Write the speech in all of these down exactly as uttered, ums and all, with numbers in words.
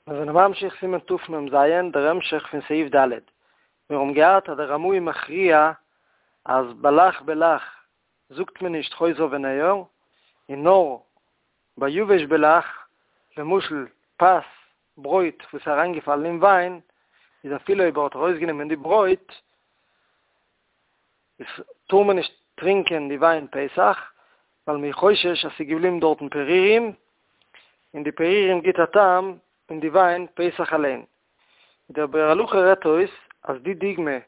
מיר זענען ממשיך סימן תמ"ז, דער המשך פון סעיף ד'. מיר האבן געהאט אז דער רמ"א איז מכריע אז בלח בלח זאגט מען נישט חוזר וניעור, און נאר ביי יבש בלח, למשל פת, ברויט וואס איז אריינגעפאלן אין וויין, איז אפילו אויב ער האט ארויסגענומען די ברויט, איז טאר מען נישט טרינקען די וויין פסח, ווייל מ'איז חושש אז ס'איז געבליבן דארטן פירורים, און די פירורים גיט א טעם אין די וויין פסח אליין. דער ביאור הלכה רעדט אויס אז די דוגמא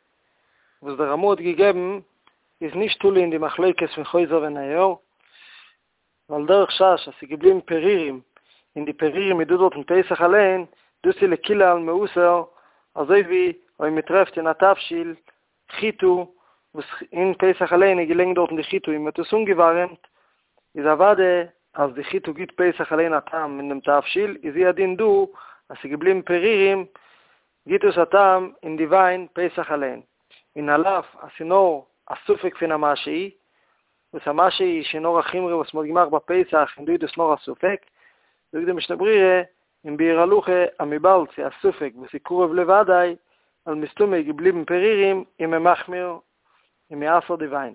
וואס דער רמ"א האט געגעבן איז נישט תלוי אין די מחלוקת פון חוזר וניעור, ווייל דער חשש אז ס'איז געבליבן פירורים און די פירורים איז דא דארטן פסח אליין, דאס איז לכולי עלמא אסור, אזוי ווי אויב מ'טרעפט אין א תבשיל חיטה וואס אין פסח אליין איז געלעגן דארטן די חיטה און מ'האט עס אנגעווארעמט, איז אוודאי אז די חיטה גיט פסח אליין א טעם אין דעם תבשיל, איז הוא הדין דא אז ס'איז געבליבן פירורים גיט עס א טעם אין די וויין פסח אליין, און על אף אז ס'איז נאר א ספק פון א משהו, וואס א משהו איז שוין נאר א חומרא וואס מ'האט געמאכט ביי פסח און דא איז דאס נאר א ספק, זאגט די משנה ברורה אין ביאור הלכה אז וויבאלד ס'איז א ספק וואס איז קרוב לוודאי, ווייל מסתמא איז געבליבן פירורים איז מען מחמיר און מ'אסר'ט די וויין.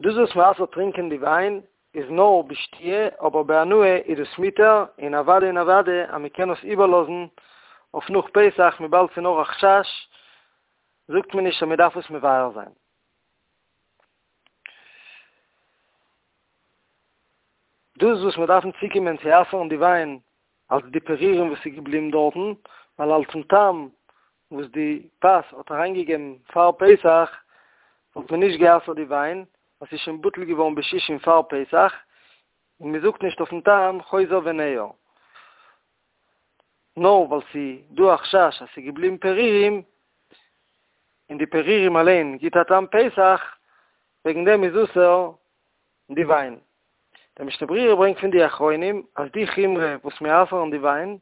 דאס וואס מ'אסר'ט טרינקען די וויין איז נאר בשתיה, אבער בהנאה איז דאס מותר, און אוודאי און אוודאי אז מ'קען עס איבערלאזן אויף נאך פסח וויבאלד ס'איז נאר א חשש, זאגט מען נישט אז מ'דארף עס מבער זיין. דאס וואס מיר דארפן צוקומען צו אסר'ן די וויין אלס די פירורים וואס איז געבליבן דארטן, ווייל אלס'ן טעם וואס די פת האט אריינגעגעבן פאר פסח, וואלט מען נישט גע'אסר'ט די וויין, ווייל ס'איז שוין בטל געווארן בשישים פאר פסח, און מען זאגט נישט אויפ'ן טעם חוזר וניעור. נאר ווייל ס'איז דא א חשש אז ס'איז געבליבן פירורים, און די פירורים אליין גיט א טעם פסח, וועגן דעם איז אסור די וויין. דער משנה ברורה ברענגט פון די אחרונים אז די חומרא וואס מיר אסר'ן די וויין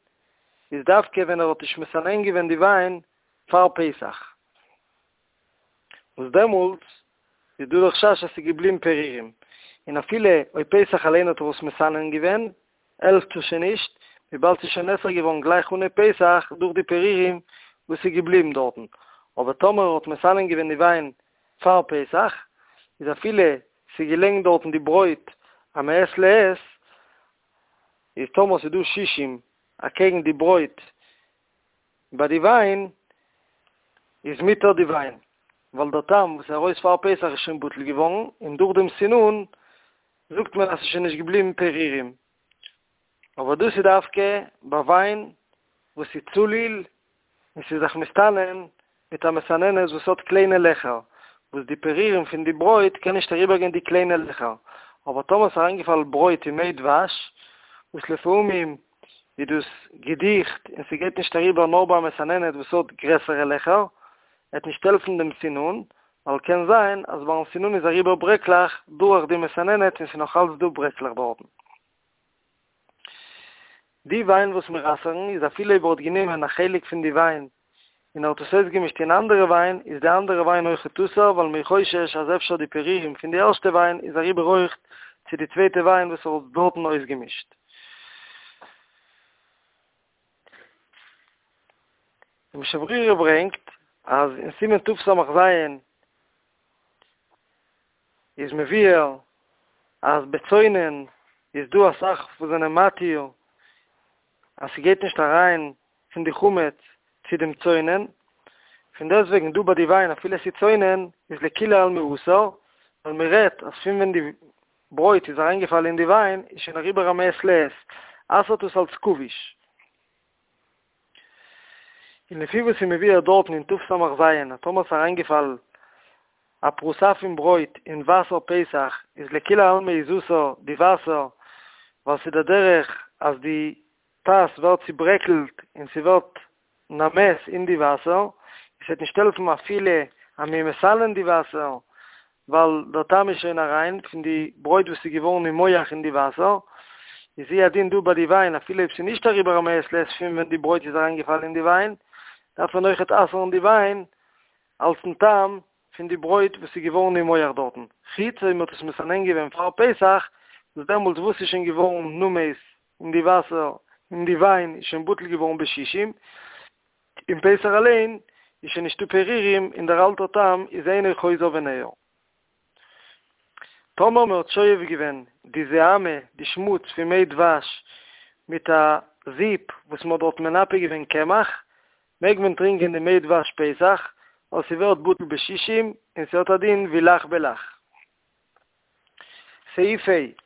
איז דווקא ווען ער האט נישט מסנן געווען די וויין פאר פסח, וואס דעמאלטס איז דא די חשש אז ס'איז געבליבן פירורים, און אפילו אויב פסח אליין האט ער עס מסנן געווען, העלפט עס שוין נישט, וויבאלד ס'איז שוין נאסר געווארן גלייך אנהייב פסח דורך די פירורים וואס איז געבליבן דארטן, אבער טאמער ער האט מסנן געווען די וויין פאר פסח, איז אפילו ס'איז געלעגן דארטן די ברויט א מעת לעת, איז טאמער ס'איז דא שישים אקעגן די ברויט ביי די וויין, איז מותר די וויין, ווייל דער טעם וואס איז ארויס פאר פסח איז שוין בטל געווארן, און דורך דעם סינון זאגט מען אז ס'איז שוין נישט געבליבן פירורים. אבער דאס איז דווקא ביי וויין וואס איז צלול און ס'איז זיך מסתנן מיט א מסננת וואס האט קליינע לעכער, וואס די פירורים פון די ברויט קען נישט אריבערגיין די קליינע לעכער, אבער טאמער ס'איז אריינגעפאלן ברויט אין מי דבש, וואס לפעמים איז דאס געדיכט און ס'גייט נישט אריבער נאר ביי א מסננת וואס האט גרעסערע לעכער, עט נישט העלפן דעם סינון, ווייל קען זיין אז ביים סינון איז אריבער ברעקלעך דורך די מסננת און ס'איז נאך אלץ דא ברעקלעך דארטן. די וויין וואס מיר אסר'ן איז אפילו אויב ער האט גענומען א חלק פון די וויין און ער האט עס אויסגעמישט אין אנדערע וויין איז די אנדערע וויין אויכעט אסור ווייל מ'איז חושש אז אפשר די פירורים פון די ערשטע וויין איז אריבער אויכט צו די צווייטע וויין וואס ער האט דארטן אויסגעמישט. די משנה ברורה ברענגט אז אין סימן תס"ז איז מבואר אז בצונן איז דא אסאך וואס זענען מתיר אז ס'גייט נישט אריין פון די חמץ צו דעם צונן, פון דעסטוועגן דא ביי די וויין אפילו עס איז צונן איז לכולי עלמא אסור, ווייל מען רעדט אז פון ווען די ברויט איז אריינגעפאלן אין די וויין איז שוין אריבער א מעת לעת, אסר'ט עס אלס כבוש. און לפי וואס איז מבואר דארטן אין תס"ז אז טאמער ס'איז אריינגעפאלן א פרוסה פון ברויט אין וואסער פסח איז לכולי עלמא איז אסור די וואסער ווייל ס'איז דער דרך אז די פת ווערט צוברעקלט און ס'ווערט נמס אין די וואסער, עס וועט נישט העלפן אפילו אז מ'איז מסנן די וואסער ווייל דער טעם איז שוין אריין פון די ברויט וואס איז געווארן נימוח אין די וואסער, איז הוא הדין דא ביי די וויין אפילו אויב ס'איז נישט אריבער א מעת לעת פון ווען די ברויט איז אריינגעפאלן אין די וויין, דארף מען אויכעט אסר'ן די וויין אלס'ן טעם פון די ברויט וואס איז געווארן נימוח דארטן, חוץ אויב מ'האט עס מסנן געווען פאר פסח, וואס דעמאלטס וואס איז שוין געווארן נמס אין די וואסער אין די וויין איז שוין בטל געווארן בשישים, אין פסח אליין איז שוין נישטא פירורים און דער אלטער טעם איז אינו חוזר וניעור. טאמער מען האט שואב געווען די זוהמא, די שמוץ פון מי דבש, מיט א זיפ וואס מען האט דארט מנפה געווען קמח, מעג מען טרינקען די מי דבש פסח, ווייל ס'ווערט בטל בשישים און ס'האט א דין ווי לח בלח. סעיף ה'.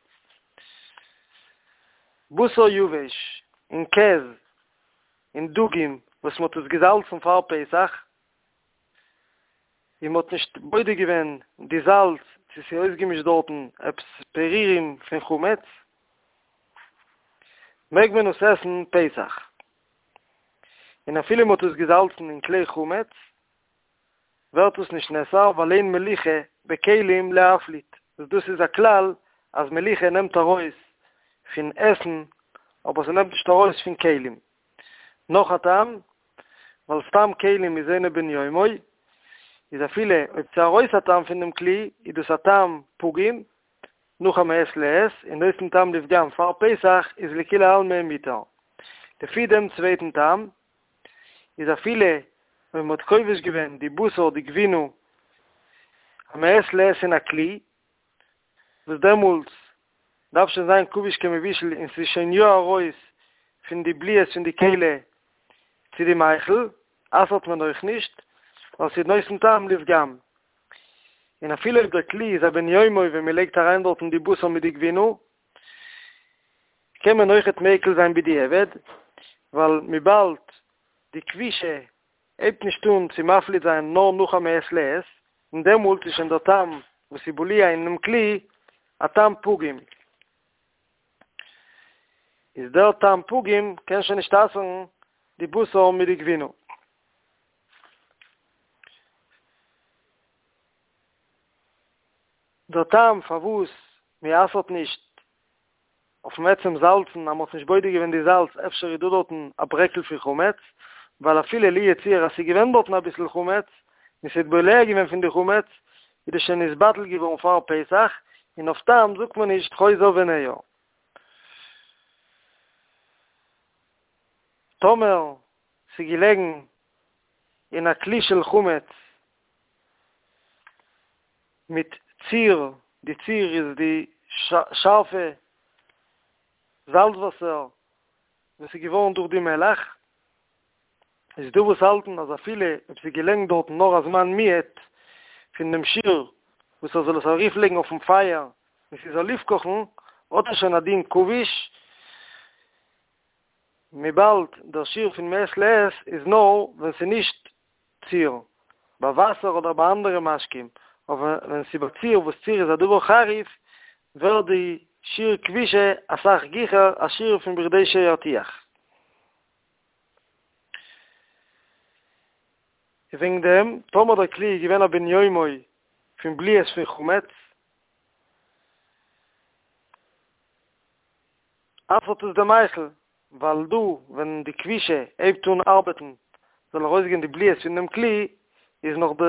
בשר יבש און קעז און דגים וואס מ'האט עס געזאלצן פאר פסח, און מ'האט נישט בודק געווען די זאלץ צו ס'איז אויסגעמישט דארטן עפעס פירורים פון חמץ, מעג מען עס עסן פסח. און אפילו מ'האט עס געזאלצן אין כלי חמץ, ווערט עס נישט נאסר ווייל אין מליחה בכלים להפליט, וואס דאס איז א כלל אז מליחה נעמט ארויס פון עסן אבער ס'נעמט נישט ארויס פון כלים. נאך א טעם, ווייל סתם כלים איז אינו בן יומו, איז אפילו אויב ס'איז ארויס א טעם פון דעם כלי, איז דאס א טעם פגום, נאך א מעת לעת, און נותן טעם לפגם פאר פסח איז לכולי עלמא מותר. לפי דעם צווייטן טעם, איז אפילו אויב מ'האט כובש געווען די בשר די גבינה א מעת לעת אין א כלי, וואס דעמאלטס דארף שוין זיין כבוש כמבושל און ס'איז שוין יא ארויס פון די בליעות פון די כלי צו די מאכל, אסר'ט מען אויך נישט, ווייל ס'איז נותן טעם לפגם. און אפילו אויב דער כלי איז א בן יומו ווען מ'לייגט אריין דארטן די בשר מיט די גבינה, קען מען אויכעט מיקל זיין בדיעבד, ווייל וויבאלד די כבישה הייבט נישט אן צו מפליט זיין נאר נאך א מעת לעת, און דעמאלט איז שוין דער טעם וואס איז בלוע אינעם כלי א טעם פגום, איז דער טעם פגום קען שוין נישט אסר'ן די בשר מיט די גבינה. דער טעם פארוואס מען אסר'ט נישט אויפן עצם זאלצן אז מען האט נישט בודק געווען די זאלץ אפשר איז דא דארטן א ברעקל פון חמץ, ווייל אפילו לו יצוייר אז ס'איז געווען דארטן אביסל חמץ און ס'האט בולע געווען פון די חמץ איז דאס שוין נתבטל געווארן פאר פסח, און אויף טעם זאגט מען נישט חוזר וניעור. טאמער ס'איז געלעגן אין א כלי של חמץ מיט ציר, די ציר איז די שארפע זאלץ וואסער וואס איז געווארן דורך די מלח, איז דא וואס האלטן אז אפילו אויב ס'איז געלעגן דארטן נאר א זמן מועט פון דעם שיעור וואס ער זאל עס ארויפלייגן אויפן פייער און ס'זאל אויפקאכן, האט עס שוין א דין כבוש, וויבאלד דער שיעור פון מעת לעת איז נאר ווען ס'איז נישט ציר, ביי וואסער אדער ביי אנדערע משקים, אבער ווען ס'איז ביי ציר וואס ציר איז א דבר חריף, ווערט די שיעור כבישה אסאך גיכער א שיעור פון בכדי שירתיח. וועגן דעם, טאמער דער כלי איז געווען א בן יומו פון בליעות פון חמץ, אסר'ט עס די מאכל, ווייל דא ווען די כבישה הייבט אן ארבעטן זאל ארויסגיין די בליעות פון דעם כלי, איז נאך די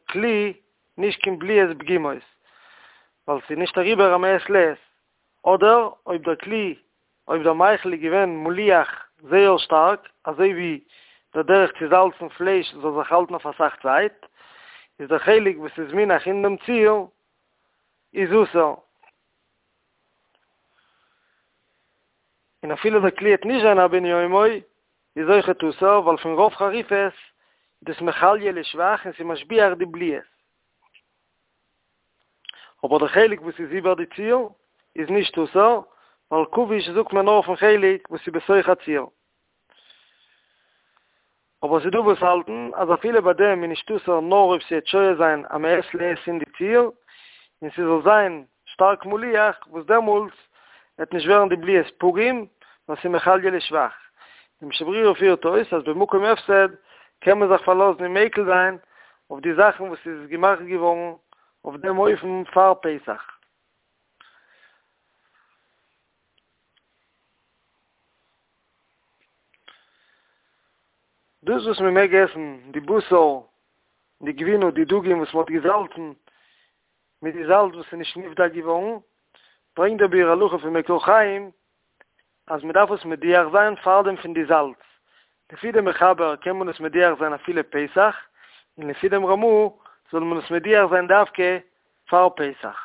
כלי נישט קיין בליעות פגומות, ווייל ס'איז נישט אריבער א מעת לעת, אדער אויב דער כלי, אויב דער מאכל איז געווען מליח זייער שטארק, אזוי ווי דער דרך צו זאלצן פלייש זאל זיך האלטן אויף אסאך צייט, איז דער חלק וואס איז מונח אין דעם ציר איז אסור. און אפילו דער כלי העט נישט זיין א בן יומו, איז אויכעט אסור, ווייל פון רוב חריפות איז דאס מחליא לשבח און ס'איז משביח די בליעות. אבער דער חלק וואס איז איבער די ציר איז נישט אסור, ווייל כבוש זאגט מען נאר אויפן חלק וואס איז בתוך הציר. אבער ס'איז דא וואס האלטן אז אפילו ביי דעם איז נישט אסור נאר אויב ס'וועט שוהה זיין א מעת לעת אין די ציר, און ס'זאל זיין שטארק מליח, וואס דעמאלטס וועט נישט ווערן די בליעות פגום, ווייל ס'איז מחליא לשבח. די משנה ברורה פירט אויס אז במקום הפסד קען מען זיך פארלאזן און מיקל זיין אויף די זאכן וואס איז געמאכט געווארן אויף דעם אופן פאר פסח. דאס וואס מען מעג עסן די בשר, די גבינה, די דגים וואס מען האט געזאלצן מיט די זאלץ וואס איז נישט נבדק געווארן, ברענגט דער ביאור הלכה פון מקור חיים אז מען דארף עס מדיח זיין פארדעם פון די זאלץ. לפי דעם מחבר קען מען עס מדיח זיין אפילו פסח, און לפי דעם רמ"א זאל מען עס מדיח זיין דווקא פאר פסח.